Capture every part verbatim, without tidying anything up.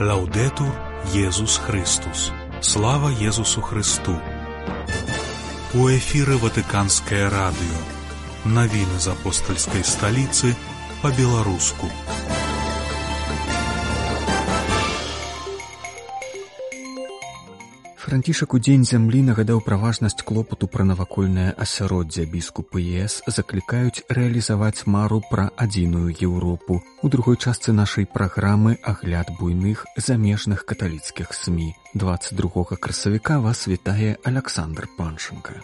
Лаўдэтур Езус Христус. Слава Езусу Христу. У эфіры Ватыканскае радыё. Навіны з апостальскай сталіцы па-беларуску. Францішак у дзень зямлі нагадаў пра важнасць клопату пра навакольнае асяроддзе. Біскупы ЕС заклікаюць рэалізаваць мару пра адзіную Еўропу. У другой частцы нашай праграмы агляд буйных замежных каталіцкіх СМІ. дваццаць другога красавіка вас вітае Аляксандр Панченка.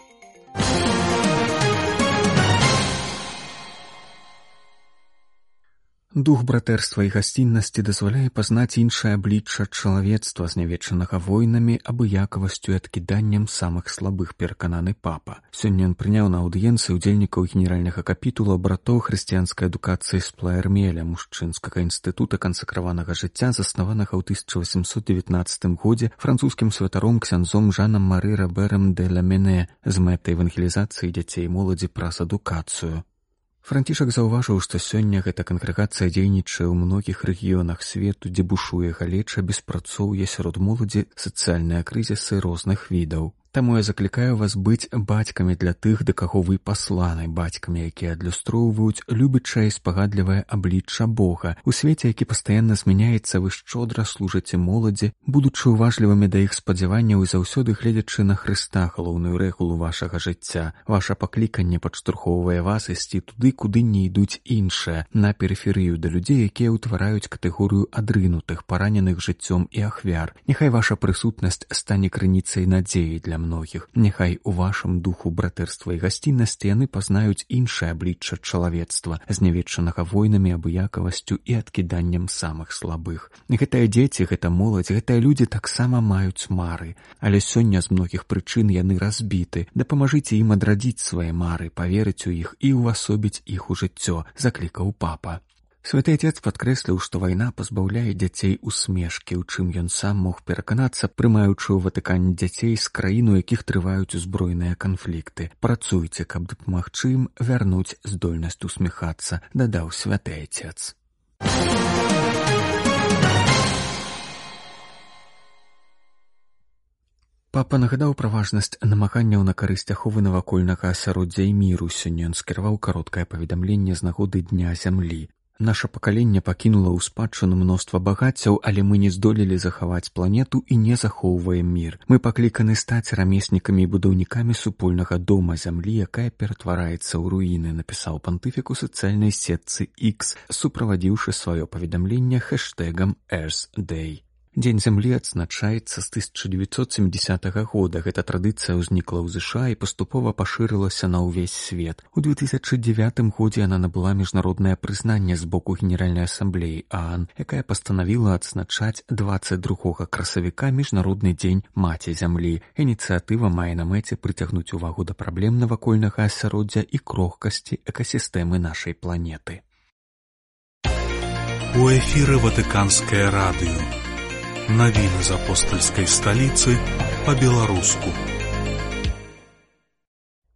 Дух братэрства і гасціннасці дазваляе пазнаць іншае аблічча чалавецтва, знявечанага войнамі, абыякавасцю і адкіданнем самых слабых, перакананы папа. Сёння ён прыняў на аўдыенцыі удзельнікаў генеральнага капітула братоў хрысціянскай адукацыі з Плаермеля, мужчынскага інстытута кансакраванага жыцця, заснаванага ў тысяча васемсот дзевятнаццатым годзе французскім святаром ксяндзом Жанам Мары Роберам де Ламене з мэтай евангелізацыі дзяцей і моладзі праз адукацыю. Францішак заўважыў, што сёння гэта кангрэгацыя дзейнічае ў многіх рэгіёнах свету, дзе бушуе галеча, беспрацоўе сярод моладзі, сацыяльныя крызісы розных відаў. Таму я заклікаю вас быць бацькамі для тых, да каго вы пасланы, бацькамі, якія адлюстроўваюць любячае і спагадлівае аблічча Бога. У свеце, які пастаянна змяняецца, вы шчодра служыце моладзі, будучы уважлівымі да іх спадзяванняў і заўсёды гледзячы на Хрыста, галоўную рэгулу вашага жыцця. Ваша пакліканне падштурхоўвае вас ісці туды, куды не ідуць іншыя, на перыферыю да людзей, якія ўтвараюць катэгорыю адрынутых, параненых жыццём і ахвяр. Няхай ваша прысутнасць стане крыніцай надзеі для многіх. Няхай у вашым духу братэрства і гасціннасці яны пазнаюць іншае аблічча чалавецтва, знявечанага войнамі, абыякавасцю і адкіданнем самых слабых. Гэтыя дзеці, гэта моладзь, гэтыя людзі таксама маюць мары, але сёння з многіх прычын яны разбіты. Дапамажыце ім адрадзіць свае мары, паверыць у іх і ўвасобіць іх у жыццё, заклікаў папа. Святы Отец падкрэсліў, што вайна пазбаўляе дзяцей усмешкі, у чым ён сам мог пераканацца, прымаючы ў Ватыкане дзяцей з краін, у якіх трываюць узброеныя канфлікты. Працуйце, каб дапамагчы ім вярнуць здольнасць усміхацца, дадаў Святы Отец. Папа нагадаў пра важнасць намаганняў на карысць аховы навакольнага асяроддзя і міру. Сёння ён скіраваў кароткае паведамленне з нагоды Дня зямлі. Наша пакаленне пакінула ў спадчыну мноства багаццяў, але мы не здолелі захаваць планету і не захоўваем мір. Мы пакліканы стаць рамеснікамі і будаўнікамі супольнага дома зямлі, якая ператвараецца ў руіны, напісаў пантыфік у сацыяльнай сетцы X, суправадзіўшы сваё паведамленне хэштэгам Earth Day. Дзень зямлі адзначаецца з тысяча дзевяцьсот сямідзясятага года. Гэта традыцыя ўзнікла ў ЗША і паступова пашырылася на ўвесь свет. У две тысячы дзевятым годзе яна набыла міжнароднае прызнанне з боку Генеральнай асамблеі ААН, якая пастанавіла адзначаць дваццаць другога красавіка міжнародны дзень маці зямлі. Ініцыятыва мае на мэце прыцягнуць увагу да праблем навакольнага асяроддзя і крохкасці экасістэмы нашай планеты. У эфіры Ватыканскае радыё. Навіны з апостальскай сталіцы па-беларуску.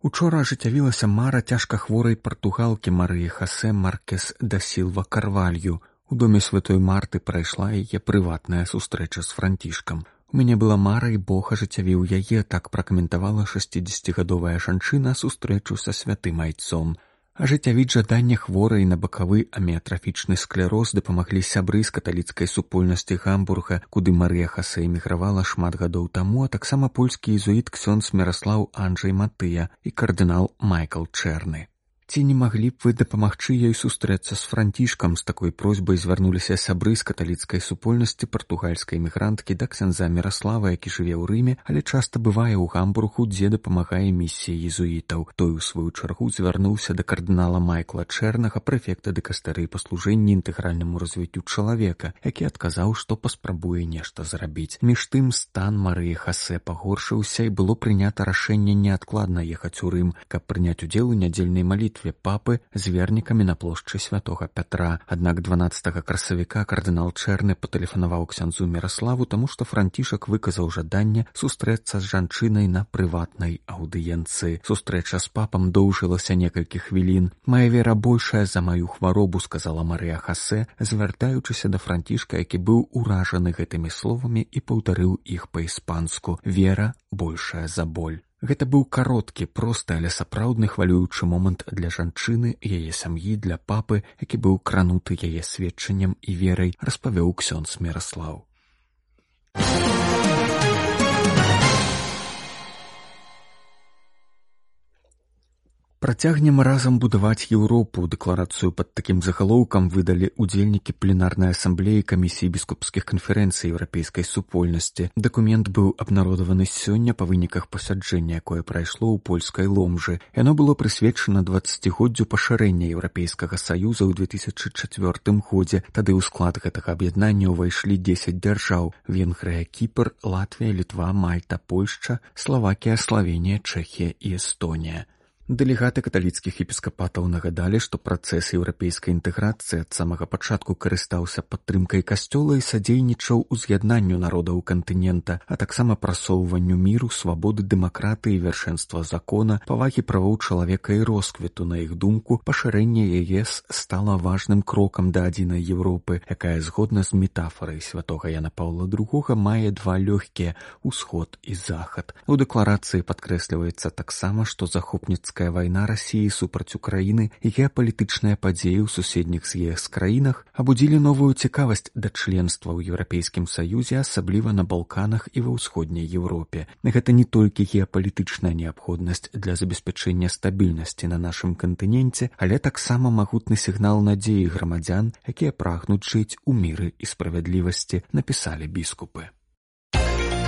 Учора ажыццявілася мара цяжка хворай партугалкі Марыі Хасе Маркес да Сілва Карвалью. У доме святой Марты прайшла яе прыватная сустрэча з Францішкам. У мяне была мара, і Бог ажыццявіў яе, так пракаментавала шасцідзесяцігадовая жанчына сустрэчу са святым айцом. Ажыццявіць жаданне хворай на бакавы аміятрафічны склероз дапамаглі сябры з каталіцкай супольнасці Гамбурга, куды Марыя Хасе эмігравала шмат гадоў таму, а таксама польскі езуіт ксёндз Міраслаў Анджэй Матыя і кардынал Майкл Чэрны. Ці не маглі б вы дапамагчы ёй сустрэцца з Францішкам? З такой просьбай звярнуліся сябры з каталіцкай супольнасці партугальскай эмігранткі да ксяндза Міраслава, які жыве ў Рыме, але часта бывае ў Гамбургу, дзе дапамагае місіі езуітаў. Той, у сваю чаргу, звярнуўся да кардынала Майкла Чэрнага, прэфекта дыкастэрыі па служэнні інтэгральнаму развіццю чалавека, які адказаў, што паспрабуе нешта зрабіць. Між тым, стан Марыі Хасе пагоршыўся, і было прынята рашэнне неадкладна ехаць у Рым, каб прыняць удзел у нядзельнай малітве малітве папы з вернікамі на плошчы святога Пятра. Аднак дванаццатага красавіка кардынал Чэрны патэлефанаваў ксяндзу Міраславу, таму што Францішак выказаў жаданне сустрэцца з жанчынай на прыватнай аўдыенцыі. Сустрэча з папам доўжылася некалькі хвілін. «Мая вера большая за маю хваробу», сказала Марыя Хасе, звяртаючыся да Францішка, які быў уражаны гэтымі словамі і паўтарыў іх па-іспанску. «Вера большая за боль». Гэта быў кароткі, просты, але сапраўдны хвалюючы момант для жанчыны, яе сям'і, для папы, які быў крануты яе сведчаннем і верай, распавёў ксёндз Міраслаў. Працягнем разам будаваць Еўропу. Дэкларацыю пад такім загалоўкам выдалі удзельнікі пленарнай асамблеі камісіі біскупскіх канферэнцый еўрапейскай супольнасці. Дакумент быў абнародаваны сёння па выніках пасяджэння, якое прайшло ў польскай Ломжы. Яно было прысвечана дваццацігоддзю пашырэння Еўрапейскага саюза ў две тысячы чацвёртым годзе. Тады ў склад гэтага аб'яднання ўвайшлі дзесяць дзяржаў: Венгрыя, Кіпр, Латвія, Літва, Мальта, Польшча, Славакія, Славенія, Чэхія і Эстонія. Дэлегаты каталіцкіх епіскапатаў нагадалі, што працэс еўрапейскай інтэграцыі ад самага пачатку карыстаўся падтрымкай касцёла і садзейнічаў уз'яднанню народаў кантынента, а таксама прасоўванню міру, свабоды, дэмакратыі, вяршэнства закона, павагі правоў чалавека і росквіту. На іх думку, пашырэнне ЕС стала важным крокам да адзінай Еўропы, якая згодна з метафарай святога Яна Паўла другога мае два лёгкія – усход і захад. У дэкларацыі падкрэсліваецца таксама, што захопніцкая вайна Расіі супраць Украіны і геапалітычныя падзеі ў суседніх з ЕС краінах абудзілі новую цікавасць да членства ў Еўрапейскім Саюзе, асабліва на Балканах і ва ўсходняй Еўропе. Гэта не толькі геапалітычная неабходнасць для забеспячэння стабільнасці на нашым кантыненце, але таксама магутны сігнал надзеі грамадзян, якія прагнуць жыць у міры і справядлівасці, напісалі біскупы.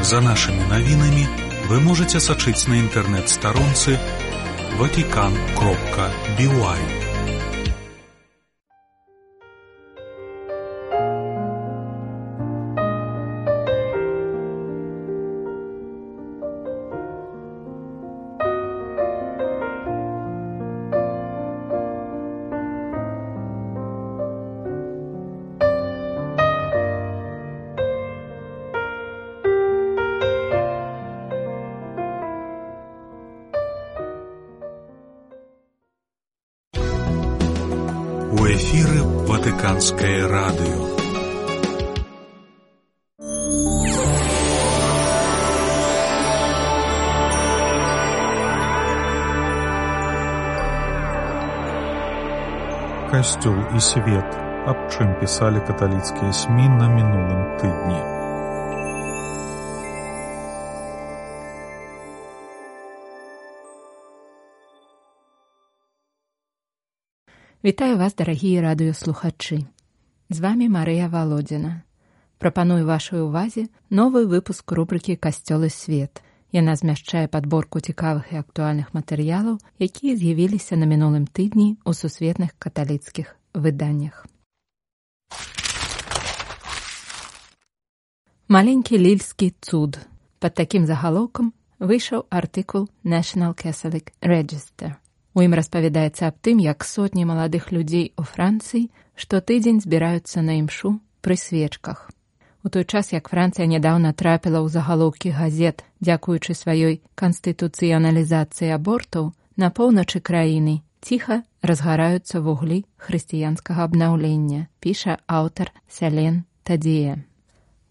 За нашими навінамі вы можете сачыць на інтэрнэт-старонцы ватикан кропка би уай. У эфіры Ватыканскае радыё. Касцёл і свет. Аб чым пісалі каталіцкія СМІ на мінулым тыдні. Вітаю вас, дарагія радыёслухачы. З вамі Марыя Валодзіна. Прапаную вашай увазе новы выпуск рубрыкі «Касцёл і свет». Яна змяшчае падборку цікавых і актуальных матэрыялаў, якія з'явіліся на мінулым тыдні ў сусветных каталіцкіх выданнях. Маленькі лільскі цуд. Пад такім загалоўкам выйшаў артыкул National Catholic Register. У ім распавядаецца аб тым, як сотні маладых людзей у Францыі штотыдзень збіраюцца на імшу пры свечках. У той час, як Францыя нядаўна трапіла ў загалоўкі газет, дзякуючы сваёй канстытуцыяналізацыі абортаў, на поўначы краіны ціха разгараюцца вуглі хрысціянскага абнаўлення, піша аўтар Сялен Тадзея.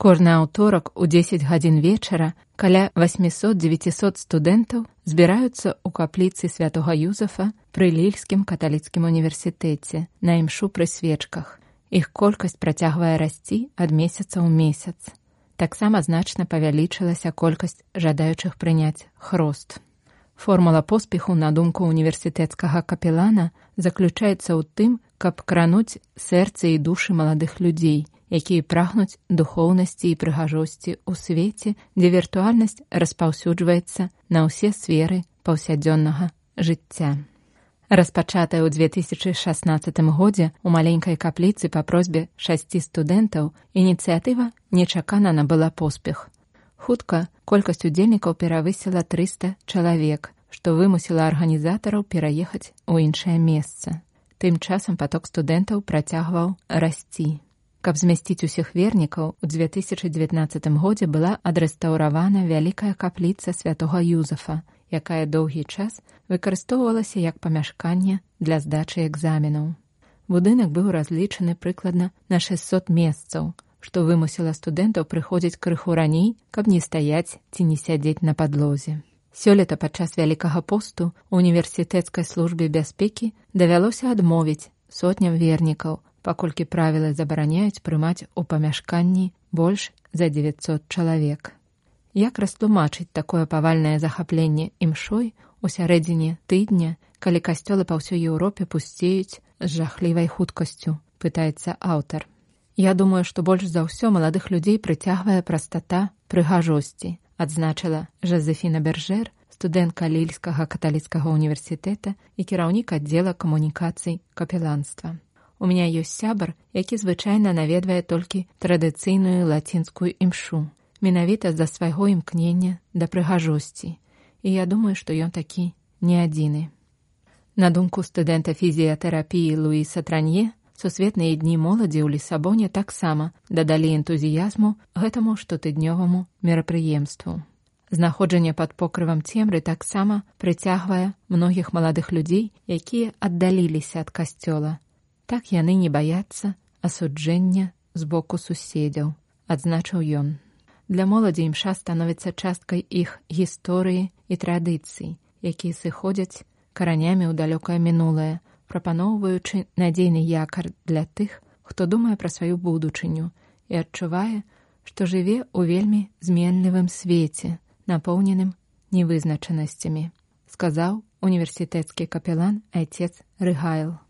Кожны аўторак у дзесяць гадзін вечара каля восьмісот-дзевяцісот студэнтаў збіраюцца ў капліцы святога Юзафа пры Лільскім каталіцкім універсітэце на імшу пры свечках. Іх колькасць працягвае расці ад месяца ў месяц. Таксама значна павялічылася колькасць жадаючых прыняць хрост. Формула поспеху, на думку універсітэцкага капелана, заключаецца ў тым, каб крануць сэрцы і душы маладых людзей, якія прагнуць духоўнасці і прыгажосці ў свеце, дзе віртуальнасць распаўсюджваецца на ўсе сферы паўсядзённага жыцця. Распачатая ў дзве тысячы шаснаццатым годзе у маленькай капліцы па просьбе шасці студэнтаў, ініцыятыва нечакана набыла поспех. Хутка колькасць удзельнікаў перавысіла трыста чалавек, што вымусіла арганізатараў пераехаць у іншае месца. Тым часам поток студэнтаў працягваў расці. Каб змясціць усіх вернікаў, у две тысячы дзевятнаццатым годзе была адрэстаўравана вялікая капліца святога Юзафа, якая доўгі час выкарыстоўвалася як памяшканне для здачы экзаменаў. Будынак быў разлічаны прыкладна на шэсцьсот месцаў, што вымусіла студэнтаў прыходзіць крыху раней, каб не стаяць ці не сядзець на падлозе. Сёлета падчас Вялікага посту універсітэцкай службе бяспекі давялося адмовіць сотням вернікаў, паколькі правілы забараняюць прымаць у памяшканні больш за дзевяцьсот чалавек. Як растлумачыць такое павальнае захапленне імшой у сярэдзіне тыдня, калі касцёлы па ўсёй Еўропе пусцеюць з жахлівай хуткасцю, пытаецца аўтар. Я думаю, што больш за ўсё маладых людзей прыцягвае прастата прыгажосці, адзначыла Жозефіна Бержер, студэнтка Лільскага каталіцкага універсітэта і кіраўнік аддзела камунікацый капеланства. У меня ёсць сябар, які звычайна наведвае толькі традыцыйную лацінскую імшу, менавіта з-за свайго імкнення да прыгажосці, і я думаю, што ён такі не адзіны. На думку студэнта фізіятэрапіі Луіса Транье, сусветныя дні моладзі ў Лісабоне таксама дадалі энтузіязму гэтаму штотыднёваму мерапрыемству. Знаходжанне пад покрывам цемры таксама прыцягвае многіх маладых людзей, якія аддаліліся ад касцёла. Так яны не баяцца асуджэння з боку суседзяў, адзначыў ён. Для моладзі імша становіцца часткай іх гісторыі і традыцый, якія сыходзяць каранямі ў далёкае мінулае, прапаноўваючы надзейны якар для тых, хто думае пра сваю будучыню і адчувае, што жыве ў вельмі зменлівым свеце, напоўненым невызначанасцямі, сказаў універсітэцкі капелан айцец Рыгайл.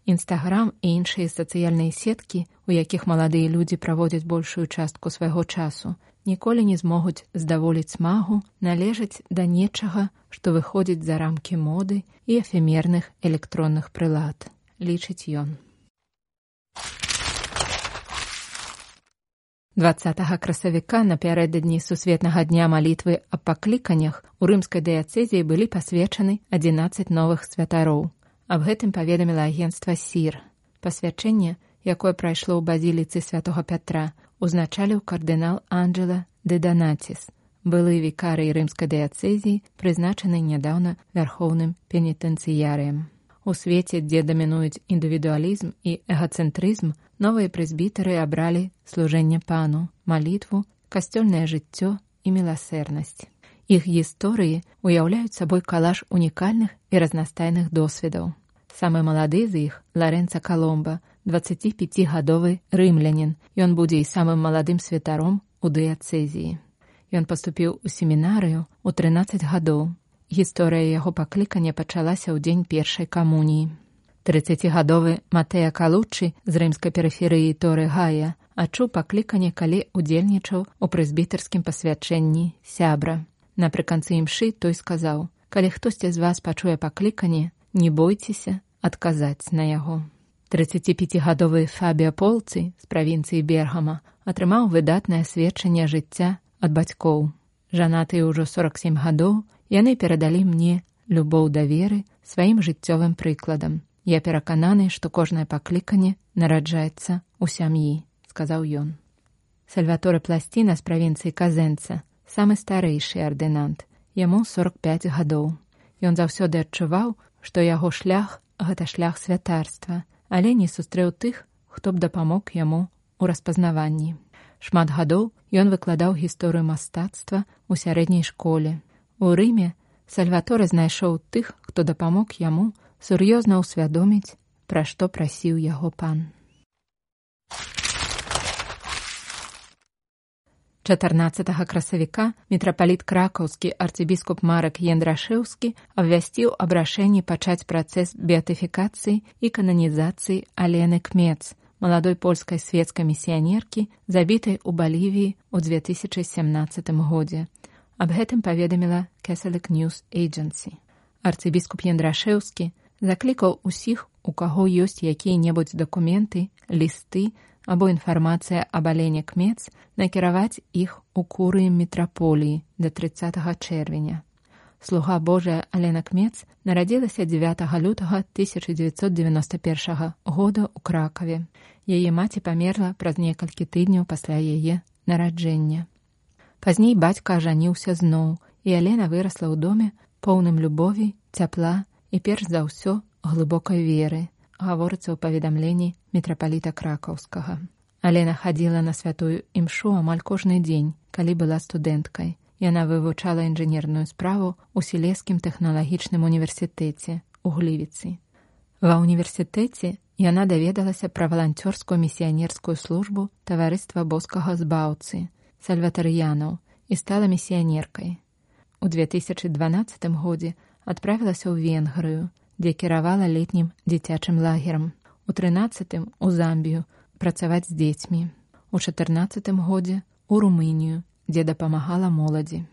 Інстаграм і іншыя сацыяльныя сеткі, у якіх маладыя людзі праводзяць большую частку свайго часу, ніколі не змогуць здаволіць смагу належаць да нечага, што выходзіць за рамкі моды і эфемерных электронных прылад, лічыць ён. дваццатага красавіка напярэдадні сусветнага дня малітвы аб пакліканнях у рымскай дыяцэзіі былі пасвечаны адзінаццаць новых святароў. Аб гэтым паведаміла агенцтва сір. Пасвячэнне, якое прайшло ў базіліцы святога Пятра, узначаліў кардынал Анджела де Донатис, былы вікарый рымскай дыяцэзіі, прызначаны нядаўна вярхоўным пенітэнцыярыем. У свеце, дзе дамінуюць індывідуалізм і эгацэнтрызм, новыя прэзбітары абралі служэнне пану, малітву, касцёльнае жыццё і міласэрнасць. Іх гісторыі уяўляюць сабой калаж унікальных і разнастайных досведаў. Самы малады з іх – Ларэнца Каломба, дваццаціпяцігадовы рымлянін. Ён будзе і самым маладым святаром у дыяцэзіі. Ён паступіў у семінарыю ў трынаццаць гадоў. Гісторыя яго паклікання пачалася ў дзень першай камуніі. трыццацігадовы Матэа Калуччы з рымскай перыферыі Торы Гая адчуў пакліканне, калі удзельнічаў у прэзбітарскім пасвячэнні сябра. Напрыканцы імшы той сказаў: «Калі хтосьці з вас пачуе пакліканне, не бойцеся адказаць на яго». трыццаціпяцігадовы Фабіа Полцы з правінцыі Бергама атрымаў выдатнае сведчанне жыцця ад бацькоў. Жанатыя ўжо сорак сем гадоў, яны перадалі мне любоў да веры сваім жыццёвым прыкладам. Я перакананы, што кожнае пакліканне нараджаецца ў сям'і, сказаў ён. Сальваторе Пласціна з правінцыі Казэнца, самы старэйшы ардынант, яму сорак пяць гадоў. Ён заўсёды адчуваў, што яго шлях – гэта шлях святарства, але не сустрэў тых, хто б дапамог яму ў распазнаванні. Шмат гадоў ён выкладаў гісторыю мастацтва ў сярэдняй школе. У Рыме Сальваторе знайшоў тых, хто дапамог яму сур'ёзна ўсвядоміць, пра што прасіў яго пан. чатырнаццатага красавіка мітрапаліт кракаўскі арцыбіскуп Марак Яндрашэўскі абвясціў аб рашэнні пачаць працэс беатыфікацыі і кананізацыі Алены Кмец, маладой польскай свецкай місіянеркі, забітай у Балівіі ў две тысячы сямнаццатым годзе. Аб гэтым паведаміла Catholic News Agency. Арцыбіскуп Яндрашэўскі заклікаў усіх, у каго ёсць якія-небудзь дакументы, лісты або інфармацыя аб Алене Кмец, накіраваць іх у курыі мітраполіі да трыццатага чэрвеня. слуга Божая Алена Кмец нарадзілася дзевятага лютага тысяча дзевяцьсот дзевяноста першага года ў Кракаве. Яе маці памерла праз некалькі тыдняў пасля яе нараджэння. Пазней бацька ажаніўся зноў, і Алена вырасла ў доме, поўным любові, цяпла і перш за ўсё глыбокай веры, гаворыцца ў паведамленні мітрапаліта Кракаўскага. Алена хадзіла на святую імшу амаль кожны дзень, калі была студэнткай. Яна вывучала інжынерную справу ў Сілезскім тэхналагічным універсітэце ў Глівіцы. Ва ўніверсітэце яна даведалася пра валанцёрскую місіянерскую службу таварыства боскага збаўцы, сальватарыянаў, і стала місіянеркай. У две тысячы дванаццатым годзе адправілася ў Венгрыю, дзе кіравала летнім дзіцячым лагерам. У трынаццатым у Замбію працаваць з дзецьмі. У чатырнаццатым годзе у Румынію, дзе дапамагала моладзі.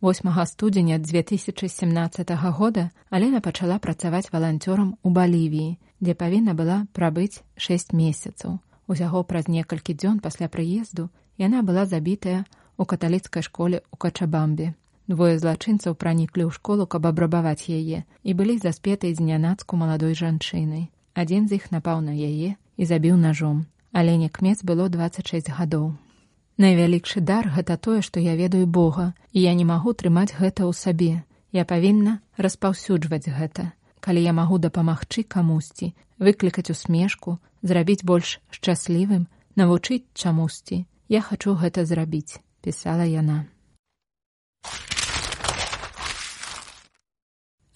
восьмага студзеня две тысячы сямнаццатага года Алена пачала працаваць валанцёрам у Балівіі, дзе павінна была прабыць шэсць месяцаў. Усяго праз некалькі дзён пасля прыезду яна была забітая ў каталіцкай школе ў Качабамбе. Двое злачынцаў праніклі ў школу, каб абрабаваць яе, і былі заспетай знянацку маладой жанчынай. Адзін з іх напаў на яе і забіў нажом. Алене Кмец было дваццаць шэсць гадоў. Найвялікшы дар – гэта тое, што я ведаю Бога, і я не магу трымаць гэта ў сабе. Я павінна распаўсюджваць гэта. Калі я магу дапамагчы камусьці, выклікаць усмешку, зрабіць больш шчаслівым, навучыць чамусьці, я хачу гэта зрабіць, пісала яна.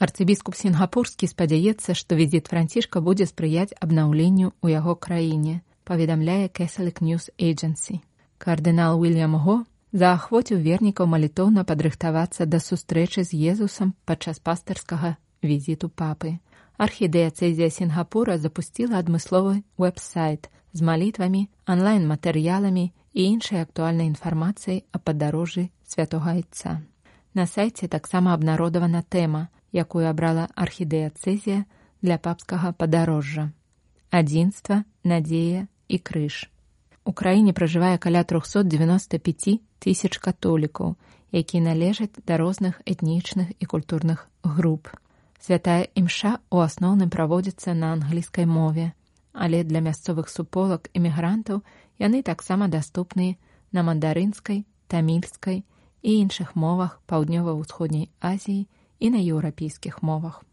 Арцыбіскуп Сінгапурскі спадзяецца, што візіт Францішка будзе спрыяць абнаўленню ў яго краіне, паведамляе Catholic News Agency. Кардынал Уільям Го заахвоціў вернікаў малітоўна падрыхтавацца да сустрэчы з Езусам падчас пастырскага візіту папы. Архідыяцэзія Сінгапура запусціла адмысловы вэб-сайт з малітвамі, онлайн-матэрыяламі і іншай актуальнай інфармацыяй о падарожжы святога Айца. На сайце таксама абнародавана тэма, якую абрала архідыяцэзія для папскага падарожжа. Адзінства, надзея і крыж. У краіне пражывае каля трохсот дзевяноста пяць тысяч католікаў, якія належаць да розных этнічных і культурных груп. Святая імша ў асноўным праводзіцца на англійскай мове, але для мясцовых суполак імігрантаў яны таксама даступныя на мандарынскай, тамільскай і іншых мовах паўднёва-ўсходняй Азіі і на еўрапейскіх мовах.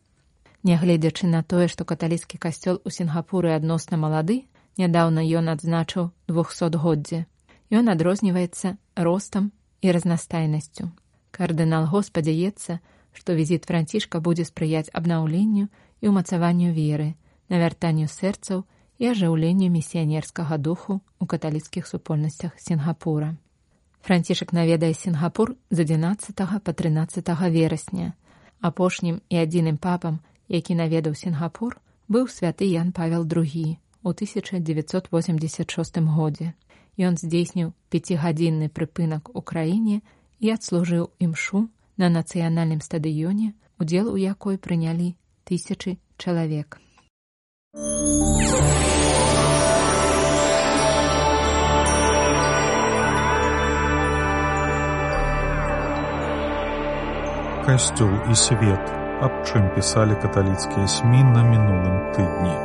Нягледзячы на тое, што каталіцкі касцёл у Сінгапуры адносна малады, нядаўна ён адзначыў двухсотгоддзе. Ён адрозніваецца ростам і разнастайнасцю. Кардынал Го спадзяецца, што візіт Францішка будзе спрыяць абнаўленню і ўмацаванню веры, навяртанню сэрцаў і ажыўленню місіянерскага духу ў каталіцкіх супольнасцях Сінгапура. Францішак наведае Сінгапур з адзінаццатага па трынаццатага верасня. Апошнім і адзіным папам, які наведаў Сінгапур, быў святы Ян Павел другі у тысяча дзевяцьсот восемьдесят шостым годзе. Ён здзейсніў пяцігадзінны прыпынак у краіне і адслужыў імшу на нацыянальным стадыёне, удзел у якой прынялі тысячы чалавек. Касцёл і свет, аб чым пісалі каталіцкія СМІ на мінулым тыдні.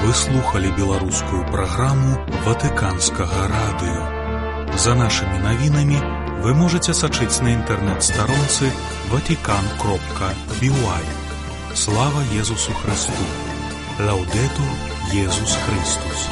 Вы слухали беларускую праграму Ватыканскага радыё. За нашымі навінамі вы можаце сачыць на інтэрнэт-старонцы ватикан кропка би уай. Слава Езусу Христу! Лаудетур Езус Христус!